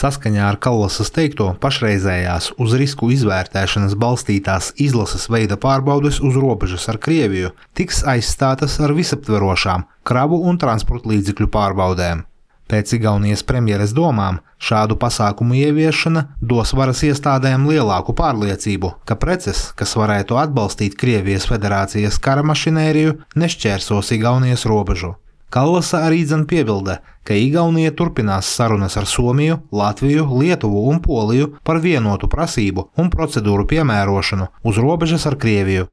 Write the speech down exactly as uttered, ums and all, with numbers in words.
Saskaņā ar Kallasas teikto, pašreizējās uz risku izvērtēšanas balstītās izlases veida pārbaudes uz robežas ar Krieviju tiks aizstātas ar visaptverošām kravu un transporta līdzekļu pārbaudēm. Pēc Igaunijas premjeres domām, šādu pasākumu ieviešana dos varas iestādēm lielāku pārliecību, ka preces, kas varētu atbalstīt Krievijas federācijas kara mašinēriju, nešķērsos Igaunijas robežu. Kallasa arī dzen piebilda, ka Igaunija turpinās sarunas ar Somiju, Latviju, Lietuvu un Poliju par vienotu prasību un procedūru piemērošanu uz robežas ar Krieviju.